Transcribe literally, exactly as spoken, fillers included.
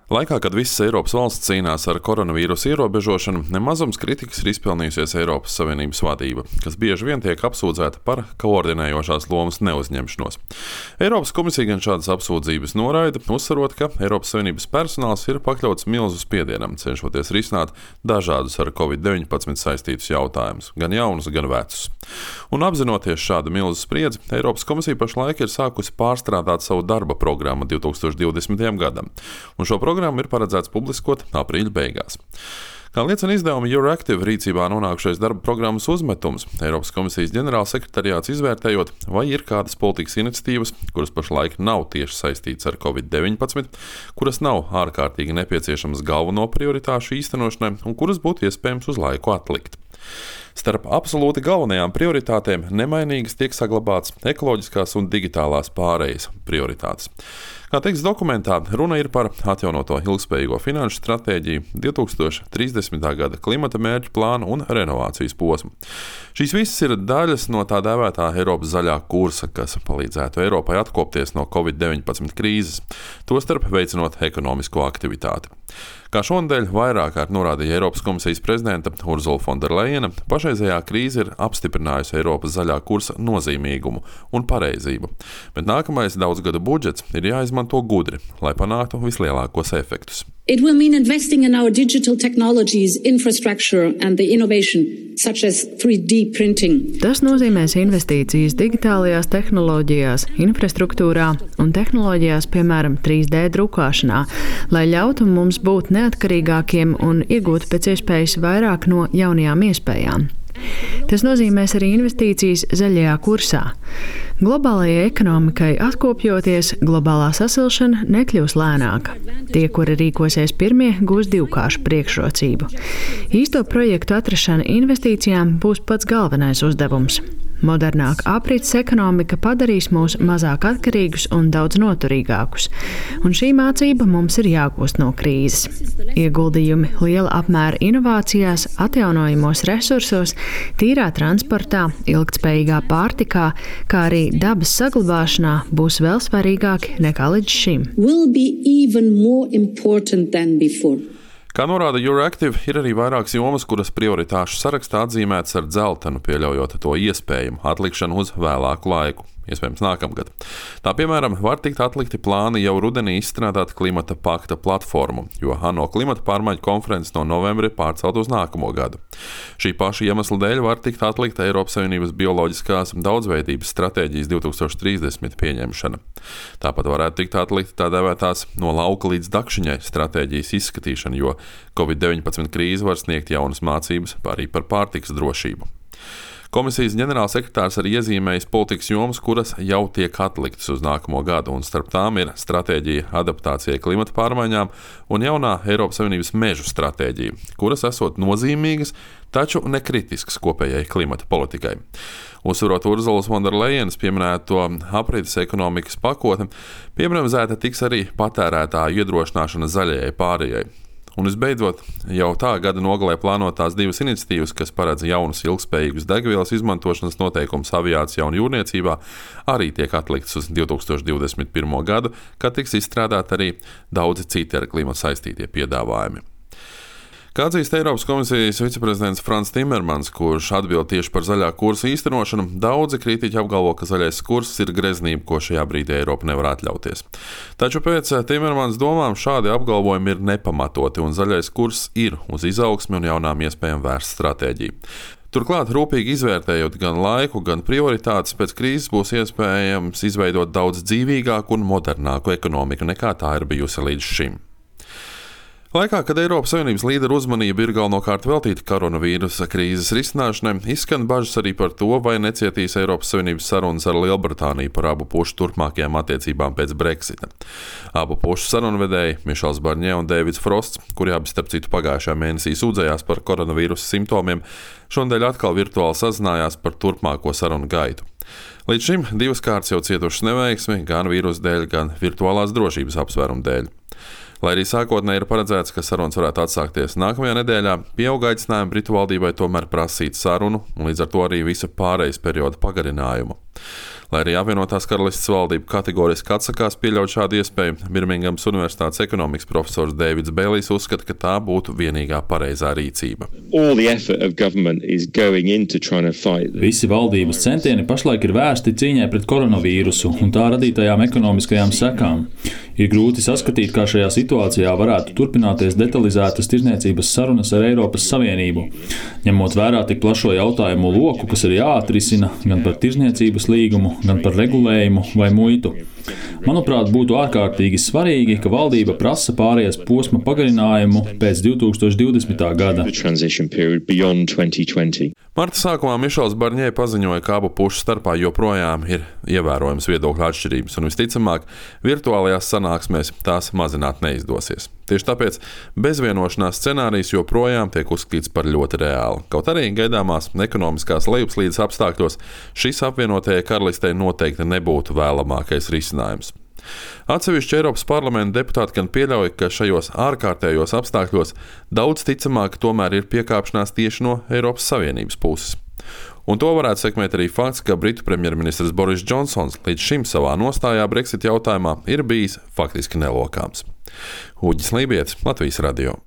Laikā, kad visas Eiropas valsts cīnās ar koronavīrusa ierobežošanu, nemazums kritikas ir izpelnījusies Eiropas Savienības vadība, kas bieži vien tiek apsūdzēta par koordinējošās lomas neuzņemšanos. Eiropas komisija gan šādas apsūdzības noraida, uzsverot, ka Eiropas Savienības personāls ir pakļauts milzu spiedienam, cenšoties risināt dažādus ar covid deviņpadsmit saistītus jautājumus, gan jaunus, gan vecus. Un apzinoties šādu milzu spriedzi, Eiropas komisija pašlaik ir sākusi pārstrādāt savu darba programmu divs tūkstoši divdesmitajam gadam, un šo programmu ir paredzēts publiskot aprīļa beigās. Kā liecina izdevuma Euractiv rīcībā nonākušais darba programmas uzmetums, Eiropas komisijas ģenerālsekretariāts izvērtējot, vai ir kādas politikas iniciatīvas, kuras pašlaik nav tieši saistītas ar covid deviņpadsmit, kuras nav ārkārtīgi nepieciešamas galveno prioritāšu īstenošanai un kuras būtu iespējams uz laiku atlikt. Starp absolūti galvenajām prioritātēm nemainīgas tiek saglabāts ekoloģiskās un digitālās pārejas prioritātes. Kā teikts dokumentā, runa ir par atjaunoto ilgspējīgo finanšu stratēģiju, divi tūkstoši trīsdesmitā gada klimata mērķu plānu un renovācijas posmu. Šīs visas ir daļas no tā dēvētā Eiropas zaļā kursa, kas palīdzētu Eiropai atkopties no covid deviņpadsmit krīzes, tostarp veicinot ekonomisko aktivitāti. Kā šonadēļ vairāk kārt norādīja Eiropas komisijas prezidenta Ursula von der Leyena, pašreizējā krīze ir apstiprinājusi Eiropas zaļā kursa nozīmīgumu un pareizību, bet nākamais daudzgadu budžets ir jāizmanto gudri, lai panāktu vislielākos efektus. It will mean investing in our digital technologies, infrastructure and the innovation, such as three D printing. Tas nozīmēs investīcijas digitālajās tehnoloģijās, infrastruktūrā un tehnoloģijās, piemēram, trīs D drukāšanā, lai ļautu mums būt neatkarīgākiem un iegūt pēc iespējas vairāk no jaunajām iespējām. Tas nozīmēs arī investīcijas zaļajā kursā. Globālajai ekonomikai atkopjoties, globālā sasilšana nekļūs lēnāka. Tie, kuri rīkosies pirmie, gūs divkāršu priekšrocību. Īsto projektu atrašana investīcijām būs pats galvenais uzdevums. Modernāka aprits ekonomika padarīs mūs mazāk atkarīgus un daudz noturīgākus, un šī mācība mums ir jāgūst no krīzes. Ieguldījumi liela apmēra inovācijās, atjaunojamos resursos, tīrā transportā, ilgtspējīgā pārtikā, kā arī dabas saglabāšanā būs vēl svarīgāki nekā līdz šim. Kā norāda Euractiv, ir arī vairākas jomas, kuras prioritāšu sarakstā atzīmētas ar dzeltenu, pieļaujot to iespējumu atlikšanu uz vēlāku laiku, iespējams nākamgad. Tā, piemēram, var tikt atlikti plāni jau rudenī izstrādāt klimata pakta platformu, jo ANO klimata pārmaiņu konferences no novembra ir pārcelt uz nākamo gadu. Šī paša iemesla dēļ var tikt atlikta Eiropas Savienības bioloģiskās daudzveidības stratēģijas divi tūkstoši trīsdesmit pieņemšana. Tāpat varētu tikt atlikta tā dēvētās no lauka līdz dakšiņai stratēģijas izskatīšana, jo covid deviņpadsmit krīze var sniegt jaunas mācības arī par pārtikas drošību. Komisijas ģenerālsekretārs arī iezīmējis politikas jomas, kuras jau tiek atliktas uz nākamo gadu, un starp tām ir stratēģija adaptācijai klimata pārmaiņām un jaunā Eiropas Savienības mežu stratēģija, kuras esot nozīmīgas, taču nekritiskas kopējai klimata politikai. Uzsverot Ursulas von der Leyenas pieminēto aprites ekonomikas pakotni, piebremzēta tiks arī patērētāju iedrošināšana zaļajai pārējai. Un visbeidzot, jau tā gada nogalē plānotās divas iniciatīvas, kas paredz jaunus ilgspējīgus degvielas izmantošanas noteikumus aviācijā un jūrniecībā, arī tiek atliktas uz divi tūkstoši divdesmit pirmo gadu, kad tiks izstrādāti arī daudzi citi ar klimatu saistītie piedāvājumi. Kā atzīst Eiropas komisijas viceprezidents Frans Timermans, kurš atbild tieši par zaļā kursa īstenošanu, daudzi kritiķi apgalvo, ka zaļais kurs ir greznība, ko šajā brīdī Eiropa nevar atļauties. Taču pēc Timermans domām šādi apgalvojumi ir nepamatoti, un zaļais kurs ir uz izaugsmi un jaunām iespējām vērsta stratēģija. Turklāt, rūpīgi izvērtējot gan laiku, gan prioritātes, pēc krīzes būs iespējams izveidot daudz dzīvīgāku un modernāku ekonomiku, nekā tā ir bijusi līdz šim. Laikā, kad Eiropas Savienības līderu uzmanība ir galvenokārt veltīta koronavīrusa krīzes risināšanai, izskan bažas arī par to, vai necietīs Eiropas Savienības sarunas ar Lielbritāniju par abu pušu turpmākajām attiecībām pēc Brexita. Abu pušu sarunvedēji Mišels Barņē un Deivids Frosts, kuri abi starp citu pagājušajā mēnesī sūdzējās par koronavīrusa simptomiem, šonadēļ atkal virtuāli sazinājās par turpmāko sarunu gaitu. Līdz šim divas kārtas jau cietušas neveiksmi, gan vīrusa dēļ, gan virtuālās drošības apsvērumu dēļ. Lai arī sākotnēji ir paredzēts, ka sarunas varētu atsākties nākamajā nedēļā, pieauga aicinājumi Britu valdībai tomēr prasīt sarunu un līdz ar to arī visa pārejas perioda pagarinājumu. Lai arī apvienotās karalistes valdība kategoriski atsakās pieļaut šādu iespēju, Birmingemas Universitātes ekonomikas profesors Deivids Bēlijs uzskata, ka tā būtu vienīgā pareizā rīcība. Visi valdības centieni pašlaik ir vērsti cīņai pret koronavīrusu un tā radītajām ekonomiskajām sekām. Ir grūti saskatīt, kā šajā situācijā varētu turpināties detalizētas tirdzniecības sarunas ar Eiropas Savienību, ņemot vērā tik plašo jautājumu loku, kas ir jāatrisina gan par tirdzniecības līgumu, gan par regulējumu vai muitu. Manuprāt, būtu ārkārtīgi svarīgi, ka valdība prasa pārējas posma pagarinājumu pēc divi tūkstoši divdesmitā gada. Marta sākumā Mišels Barņē paziņoja, ka abu pušu starpā joprojām ir ievērojams viedokļu atšķirības, un visticamāk, virtuālajās sanāksmēs tās mazināt neizdosies. Tieši tāpēc bezvienošanās scenārijs joprojām tiek uzskatīts par ļoti reālu. Kaut arī gaidāmās ekonomiskās lejupslīdes apstākļos šis apvienotajai karalistei noteikti nebūtu vēlamākais risinājums. Atsevišķi Eiropas parlamenta deputāti gan pieļauj, ka šajos ārkārtējos apstākļos daudz ticamāk tomēr ir piekāpšanās tieši no Eiropas Savienības puses. Un to varētu sekmēt arī fakts, ka Britu premjerministrs Boris Džonsons līdz šim savā nostājā Brexit jautājumā ir bijis faktiski nelokāms. Uģis Lībietis, Latvijas radio.